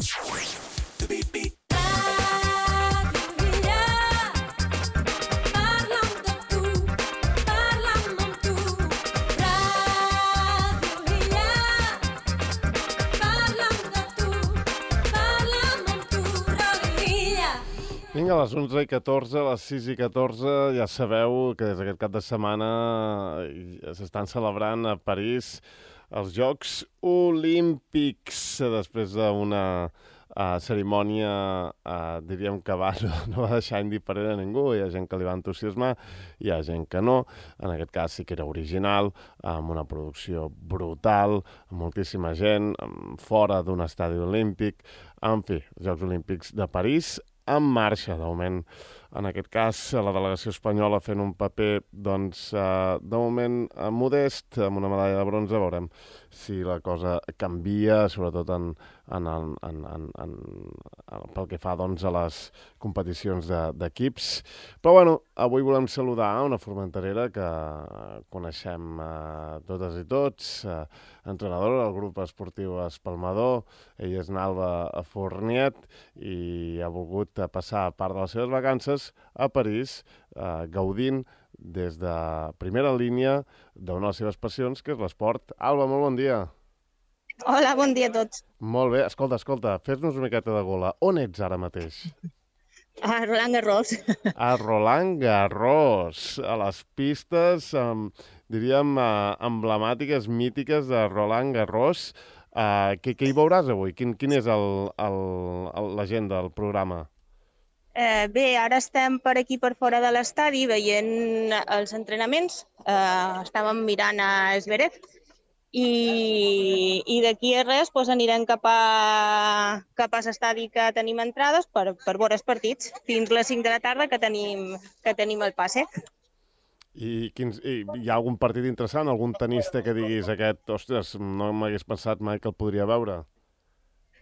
Vinga, a les 11:14, a les 6:14, ja sabeu que des d'aquest cap de setmana s'estan celebrant a París els Jocs Olímpics, després d'una cerimònia, diríem que no va deixar indiferent a ningú. Hi ha gent que li va entusiasmar, hi ha gent que no. En aquest cas sí que era original, amb una producció brutal, amb moltíssima gent, fora d'un estadi olímpic. En fi, els Jocs Olímpics de París en marxa. De moment, en aquest cas, la delegació espanyola fent un paper, doncs, de moment modest, amb una medalla de bronze. Veurem si la cosa canvia, sobretot pel que fa, doncs, a les competicions d'equips. Però, bueno, avui volem saludar una formenterera que coneixem totes i tots, entrenadora del grup esportiu Espalmador. Ella és Nalba Fourniet i ha volgut passar part de les seves vacances a París, gaudint des de primera línia d'una de les seves passions, que és l'esport. Alba, molt bon dia. Hola, bon dia a tots. Molt bé. Escolta, fes-nos una miqueta de gola. On ets ara mateix? A Roland Garros. A Roland Garros, a les pistes, diríem, emblemàtiques, mítiques de Roland Garros. Què hi veuràs avui? Quin és l'agenda del programa? Bé, ara estem per aquí, per fora de l'estadi, veient els entrenaments. Estàvem mirant a Zverev i d'aquí a res anirem cap a l'estadi que tenim entrades per veure els partits fins les 5 de la tarda que tenim el passe. I hi ha algun partit interessant, algun tenista que diguis aquest, ostres, no m'hagués pensat mai que el podria veure?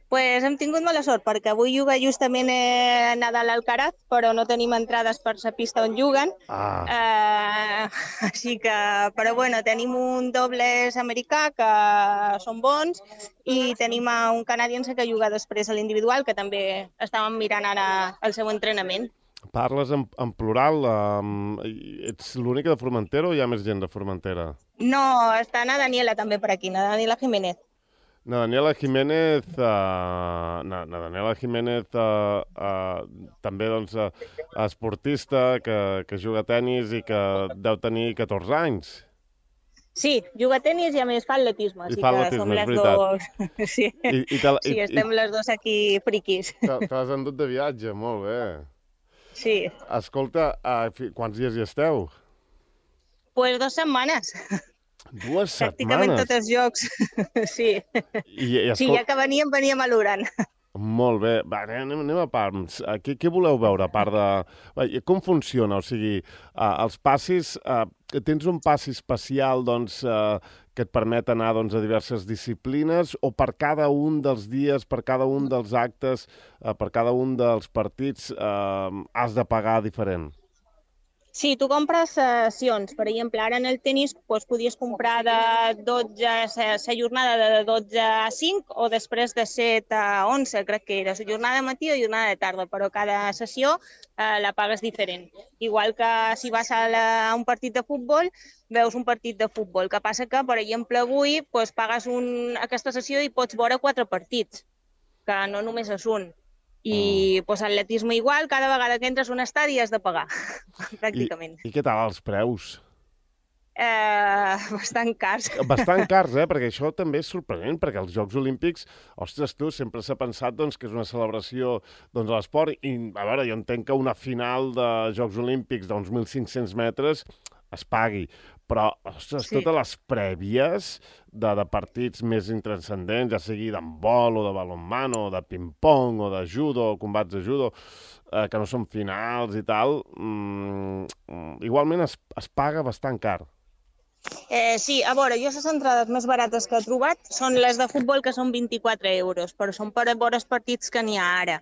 Pues hem tingut mala sort, perquè avui juga justament Nadal Alcaraz, però no tenim entrades per la pista on juguen. Així que, però bueno, tenim un dobles americà que són bons i tenim un canadiense que juga després a l'individual, que també estàvem mirant ara el seu entrenament. Parles en plural? Ets l'única de Formentera o hi ha més gent de Formentera? No, està na Daniela també per aquí, na Daniela Jiménez. Na Daniela Jiménez també, doncs, esportista que juga a tenis i que deu tenir 14 anys. Sí, juga a tenis i a més fa atletisme. I fa atletisme, és veritat. Sí, estem les dos aquí friquis. T'has endut de viatge, molt bé. Sí. Escolta, quants dies hi esteu? Pues 2 setmanes. 2 setmanes? Pràcticament tots els jocs, sí. Sí, ja que veníem a l'Uran. Molt bé. Va, anem a parts. Què voleu veure, a part de... Com funciona? O sigui, els passis... Tens un passi especial, doncs, que et permet anar, doncs, a diverses disciplines, o per cada un dels dies, per cada un dels actes, per cada un dels partits, has de pagar diferent? Sí, tu compres sessions. Per exemple, ara en el tenis podies comprar de 12, la jornada de 12 a 5 o després de 7 a 11, crec que era. La jornada de matí o jornada de tarda, però cada sessió la pagues diferent. Igual que si vas a un partit de futbol, veus un partit de futbol. El que passa que, per exemple, avui pagues aquesta sessió i pots veure 4 partits, que no només és un. I atletisme igual, cada vegada que entres a un estadi has de pagar, pràcticament. I què tal els preus? Bastant cars. Bastant cars, perquè això també és sorprenent, perquè els Jocs Olímpics, ostres, tu, sempre s'ha pensat doncs, que és una celebració de l'esport, i a veure, jo entenc que una final de Jocs Olímpics d'uns 1.500 metres es pagui, però, ostres, sí. Totes les prèvies de partits més intranscendents, ja sigui d'handbol o de balonmano, o de ping-pong, o de judo, o combats de judo, que no són finals i tal, igualment es paga bastant car. Sí, a veure, jo les entrades més barates que he trobat són les de futbol, que són 24 euros, però són per veure els partits que n'hi ha ara.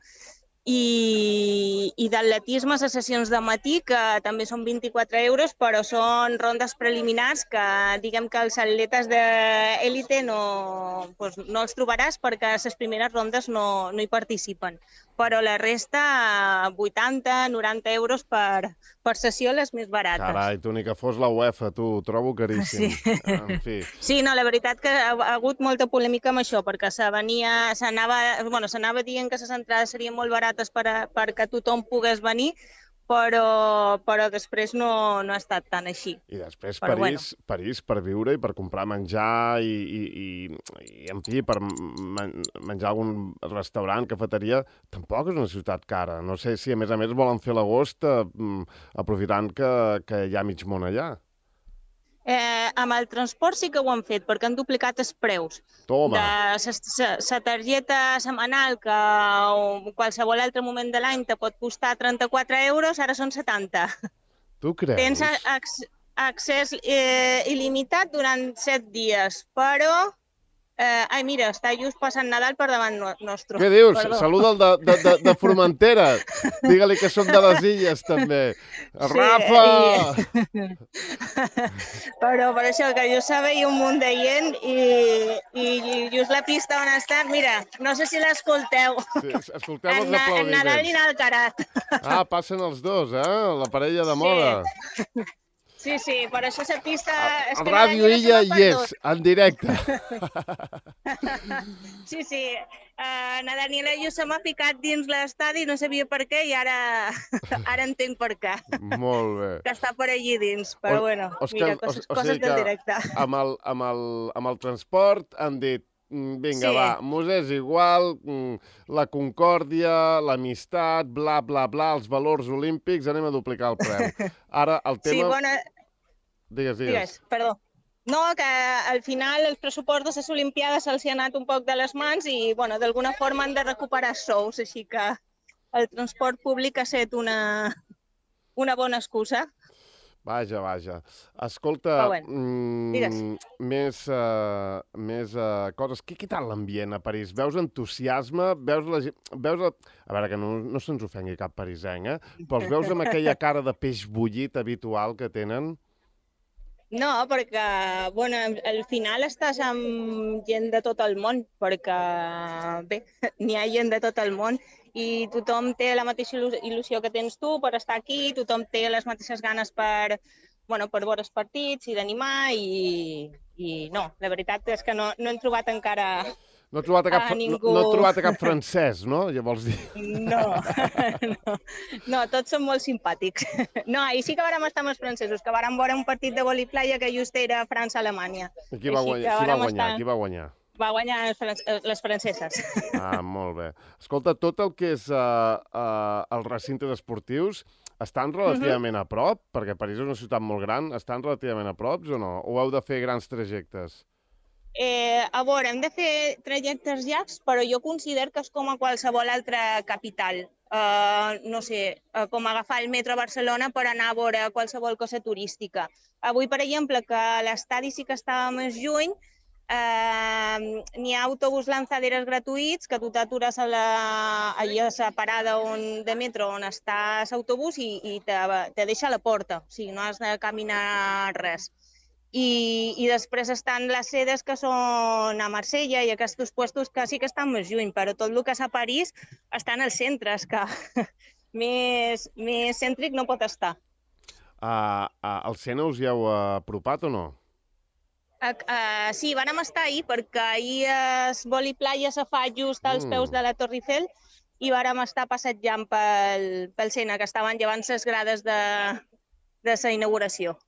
i d'atletisme a les sessions de matí, que també són 24 euros, però són rondes preliminars que diguem que els atletes d'élite no els trobaràs perquè a les primeres rondes no hi participen. Però la resta, 80, 90 euros per sessió, les més barates. Carai, tu ni que fos la UEFA, tu, ho trobo caríssim. Sí. En fi. Sí, no, la veritat que ha hagut molta polèmica amb això, perquè s'anava dient que les entrades serien molt barates perquè tothom pogués venir, però després no ha estat tan així. I després però París per viure i per comprar menjar i en fi, per menjar a algun restaurant, cafeteria, tampoc és una ciutat cara. No sé si a més volen fer l'agost aprofitant que hi ha mig món allà. Amb el transport sí que ho han fet, perquè han duplicat els preus. Toma! La targeta setmanal, que qualsevol altre moment de l'any te pot costar 34 euros, ara són 70. Tu creus? Tens accés il·limitat durant 7 dies, però... Ai, mira, està just passant Nadal per davant nostre. Què dius? Perdó. Saluda el de Formentera. Digue-li que som de les illes, també. Sí, Rafa! Però per això, que jo sabia un munt de gent i just la pista on estan, mira, no sé si l'escolteu. Sí, escolteu els aplaudiments. En Nadal i en Alcarat. Ah, passen els dos, la parella de moda. Sí, per això la pista... A Ràdio Illa hi és, en directe. Sí. Na Daniela i jo se m'ha ficat dins l'estadi, no sabia per què, i ara entenc per què. Molt bé. Que està per allí dins, però bueno, mira, coses del directe. Amb el transport han dit, vinga, va, mos és igual, la concòrdia, l'amistat, bla, bla, bla, els valors olímpics, anem a duplicar el preu. Ara, el tema... Sí, bona... Digues. Perdó. No, que al final els pressupostos de les Olimpiades se'ls ha anat un poc de les mans i, bueno, d'alguna forma han de recuperar sous, així que el transport públic ha estat una bona excusa. Vaja. Escolta, més coses. Què tal l'ambient a París? Veus entusiasme? Veus la gent... A veure, que no se'ns ofengui cap parisenc, però els veus amb aquella cara de peix bullit habitual que tenen? No, perquè, bueno, al final estàs amb gent de tot el món, perquè, bé, n'hi ha gent de tot el món i tothom té la mateixa il·lusió que tens tu per estar aquí, tothom té les mateixes ganes per veure els partits i d'animar i no, la veritat és que no hem trobat encara... No he trobat cap francès, no? Ja vols dir? No, tots són molt simpàtics. No, ahir sí que vàrem estar amb els francesos, que vàrem veure un partit de vòlei-playa que just era França-Alemanya. Qui va guanyar? Va guanyar les franceses. Ah, molt bé. Escolta, tot el que és els recintes esportius estan relativament a prop? Perquè París és una ciutat molt gran. Estan relativament a prop o no? O heu de fer grans trajectes? A veure, hem de fer trajectes llargs, però jo considero que és com a qualsevol altra capital. No sé, com agafar el metro a Barcelona per anar a veure qualsevol cosa turística. Avui, per exemple, que l'estadi sí que estava més lluny, n'hi ha autobús lanzaderes gratuïts que tu t'atures allà a la parada de metro on està l'autobús i te deixa a la porta, o sigui, no has de caminar res. I després estan les sedes que són a Marsella i aquests puestos que sí que estan més lluny, però tot el que és a París està en el centre, és que més cèntric no pot estar. Al Sena us hi heu apropat o no? Sí, vàrem estar ahir perquè ahir el vòlei-playa se fa just als peus de la Torre Eiffel i vàrem estar passejant pel Sena, que estaven llevant les grades de la inauguració.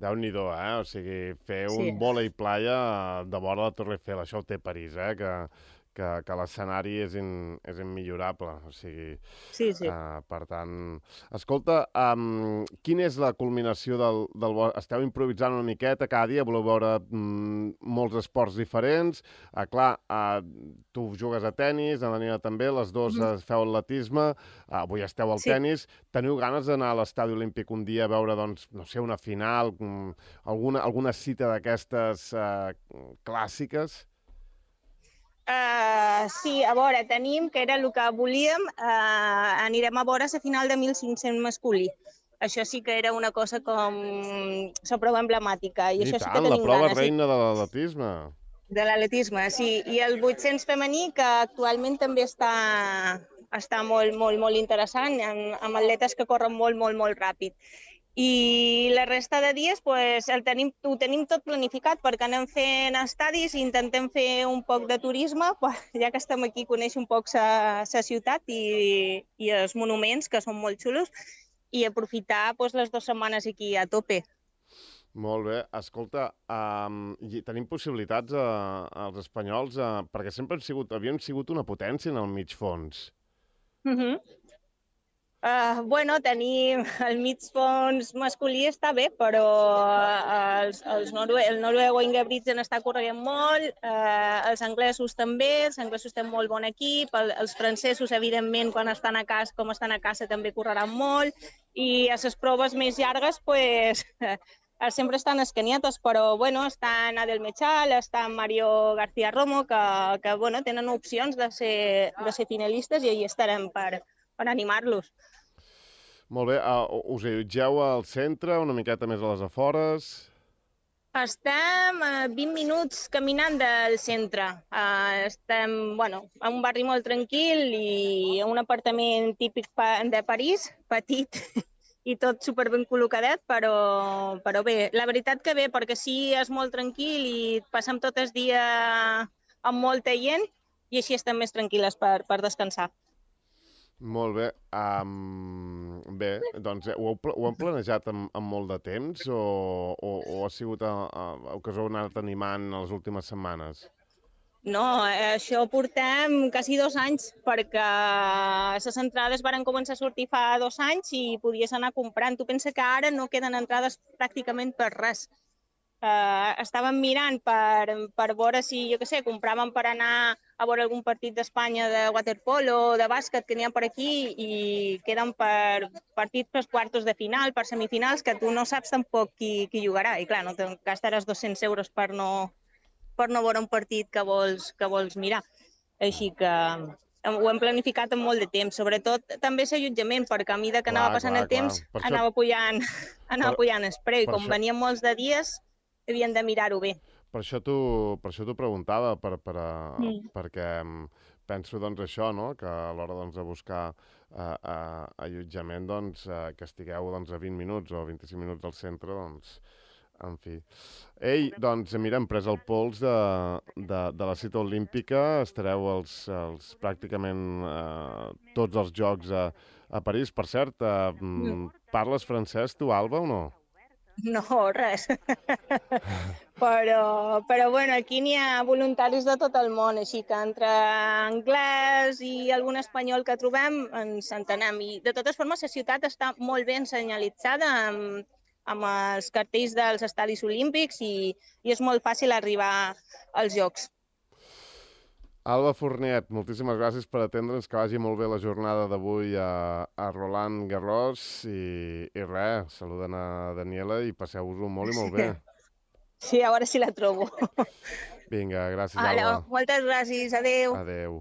Déu-n'hi-do, O sigui, fer un vòlei-playa de vora la Torre Eiffel, això ho té París, que l'escenari és immillorable, o sigui... Sí. Per tant... Escolta, quina és la culminació del... Esteu improvisant una miqueta cada dia, voleu veure molts esports diferents. Clar, tu jugues a tennis, en Daniela també, les dues feu atletisme, avui esteu al tennis. Teniu ganes d'anar a l'estadi olímpic un dia a veure, doncs, no sé, una final, alguna cita d'aquestes clàssiques? Sí, a veure, tenim, que era el que volíem, anirem a veure la final de 1.500 masculí. Això sí que era una cosa com la prova emblemàtica, i I això sí que tant, la tenim prova ganes. reina de l'atletisme. De l'atletisme, sí. I el 800 femení, que actualment també està molt, molt, molt interessant, amb atletes que corren molt, molt, molt ràpid. I la resta de dies pues, ho tenim tot planificat perquè anem fent estadis i intentem fer un poc de turisme, ja que estem aquí, conèixer un poc la ciutat i els monuments, que són molt xulos, i aprofitar pues, les 2 setmanes aquí a tope. Molt bé. Escolta, tenim possibilitats als espanyols, perquè sempre havíem sigut una potència en el mig fons. Bueno, tenim el mig fons masculí està bé, però el noruego Ingebrigtsen està corrent molt, els anglesos també, els anglesos tenen molt bon equip, els francesos, evidentment, quan estan a casa també correran molt, i a les proves més llargues, pues, sempre estan escaniatos, però bueno, està Adel Mechal, està Mario García Romo, que bueno, tenen opcions de ser finalistes i hi estarem per animar-los. Molt bé. Us allotgeu al centre, una miqueta més a les afores? Estem a 20 minuts caminant del centre. Estem, bueno, en un barri molt tranquil i en un apartament típic de París, petit i tot superben col·locadet, però bé, la veritat que bé, perquè sí, és molt tranquil i passem tot el dia amb molta gent i així estem més tranquil·les per descansar. Molt bé. Bé, doncs ho hem planejat amb molt de temps o ha sigut el que us heu anat animant les últimes setmanes? No, això portem quasi 2 anys, perquè les entrades varen començar a sortir fa 2 anys i podies anar comprant. Tu pensa que ara no queden entrades pràcticament per res. Estàvem mirant per veure si, jo què sé, compràvem per anar a veure algun partit d'Espanya de waterpolo o de bàsquet que n'hi ha per aquí i queden per partits per quartos de final, per semifinals, que tu no saps tampoc qui jugarà. I clar, no te gastaràs 200 euros per no veure un partit que vols mirar. Així que ho hem planificat amb molt de temps. Sobretot també l'allotjament, perquè a mesura que anava passant el temps anava pujant el preu. I com venien molts de dies, havien de mirar-ho bé. Per això t'ho preguntava, perquè penso doncs això, no? Que a l'hora doncs, de buscar allotjament doncs, que estigueu doncs, a 20 minuts o 25 minuts del centre, doncs, en fi. Ei, doncs mira, hem pres el pols de la cita olímpica, estareu pràcticament tots els jocs a París. Per cert, parles francès tu, Alba, o no? No, res. Però bueno, aquí n'hi ha voluntaris de tot el món, així que entre anglès i algun espanyol que trobem ens entenem. I de totes formes, la ciutat està molt ben senyalitzada amb els cartells dels estadis olímpics i és molt fàcil arribar als jocs. Alba Fourniet, moltíssimes gràcies per atendre'ns, que vagi molt bé la jornada d'avui a Roland Garros i res, saluden a Daniela i passeu-vos-ho molt i molt bé. Sí, a veure si la trobo. Vinga, gràcies, Alba. Moltes gràcies, adeu. Adeu.